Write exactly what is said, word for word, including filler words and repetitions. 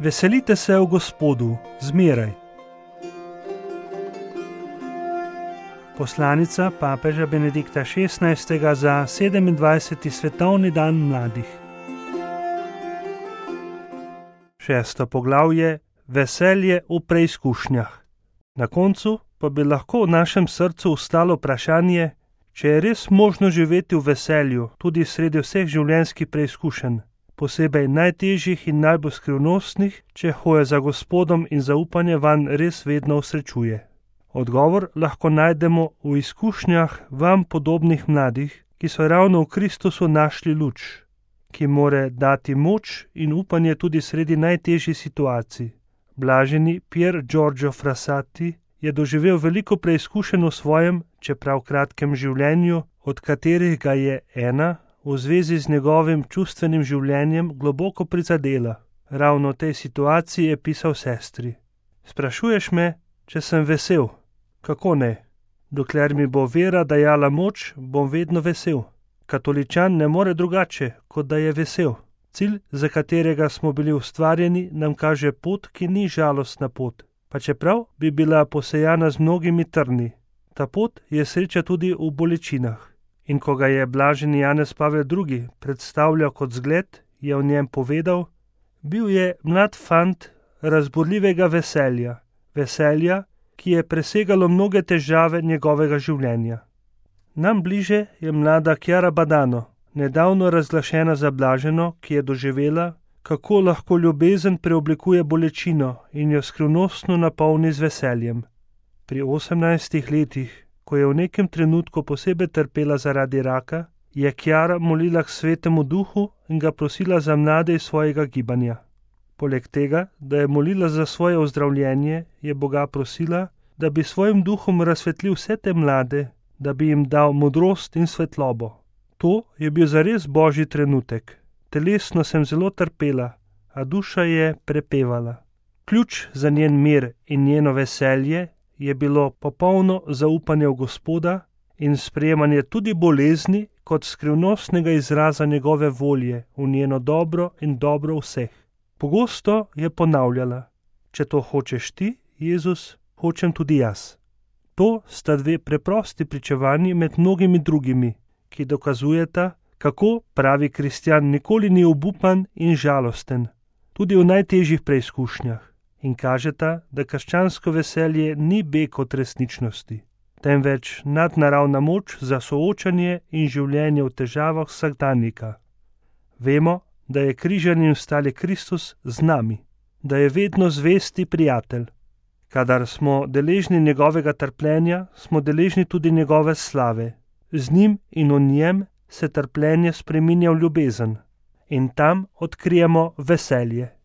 Veselite se v Gospodu, zmeraj. Poslanica papeža Benedikta šestnajstega za sedemindvajseti svetovni dan mladih. Šesto poglavje: Veselje v preizkušnjah. Na koncu pa bi lahko v našem srcu ostalo vprašanje, če je res možno živeti v veselju tudi sredi vseh življenjskih preizkušenj, posebej najtežjih in najbolj skrivnostnih, če hoja za Gospodom in zaupanje vanj res vedno osrečuje. Odgovor lahko najdemo v izkušnjah vam podobnih mladih, ki so ravno v Kristusu našli luč, ki more dati moč in upanje tudi sredi najtežjih situacij. Blaženi Pier Giorgio Frassati je doživel veliko preizkušenj v svojem, čeprav kratkem življenju, od katerih ga je ena v zvezi z njegovim čustvenim življenjem globoko prizadela. Ravno v tej situaciji je pisal sestri: Sprašuješ me, če sem vesel? Kako ne? Dokler mi bo vera dajala moč, bom vedno vesel. Katoličan ne more drugače, kot da je vesel. Cilj, za katerega smo bili ustvarjeni, nam kaže pot, ki ni žalostna pot, pa čeprav bi bila posejana z mnogimi trni. Ta pot je sreča tudi v bolečinah. In ko ga je blaženi Janez Pavel drugi predstavljal kot zgled, je o njem povedal: bil je mlad fant razburljivega veselja, veselja, ki je presegalo mnoge težave njegovega življenja. Nam bliže je mlada Chiara Badano, nedavno razglašena za blaženo, ki je doživela, kako lahko ljubezen preoblikuje bolečino in jo skrivnostno napolni z veseljem. Pri osemnajstih letih, ko je v nekem trenutku posebej trpela zaradi raka, je Chiara molila k Svetemu Duhu in ga prosila za mlade iz svojega gibanja. Poleg tega, da je molila za svoje ozdravljenje, je Boga prosila, da bi svojim duhom razsvetlil vse te mlade, da bi jim dal modrost in svetlobo. To je bil zares božji trenutek. Telesno sem zelo trpela, a duša je prepevala. Ključ za njen mir in njeno veselje je bilo popolno zaupanje v Gospoda in sprejemanje tudi bolezni kot skrivnostnega izraza njegove volje v njeno dobro in dobro vseh. Pogosto je ponavljala: če to hočeš ti, Jezus, hočem tudi jaz. To sta dve preprosti pričevanji med mnogimi drugimi, ki dokazujeta, kako pravi kristjan nikoli ni obupan in žalosten, tudi v najtežjih preizkušnjah, in kažeta, da krščansko veselje ni beg od resničnosti, temveč nadnaravna moč za soočanje in življenje v težavah vsakdanjika. Vemo, da je križani in vstali Kristus z nami, da je vedno zvesti prijatelj. Kadar smo deležni njegovega trpljenja, smo deležni tudi njegove slave. Z njim in v njem se trpljenje spreminja v ljubezen in tam odkrijemo veselje.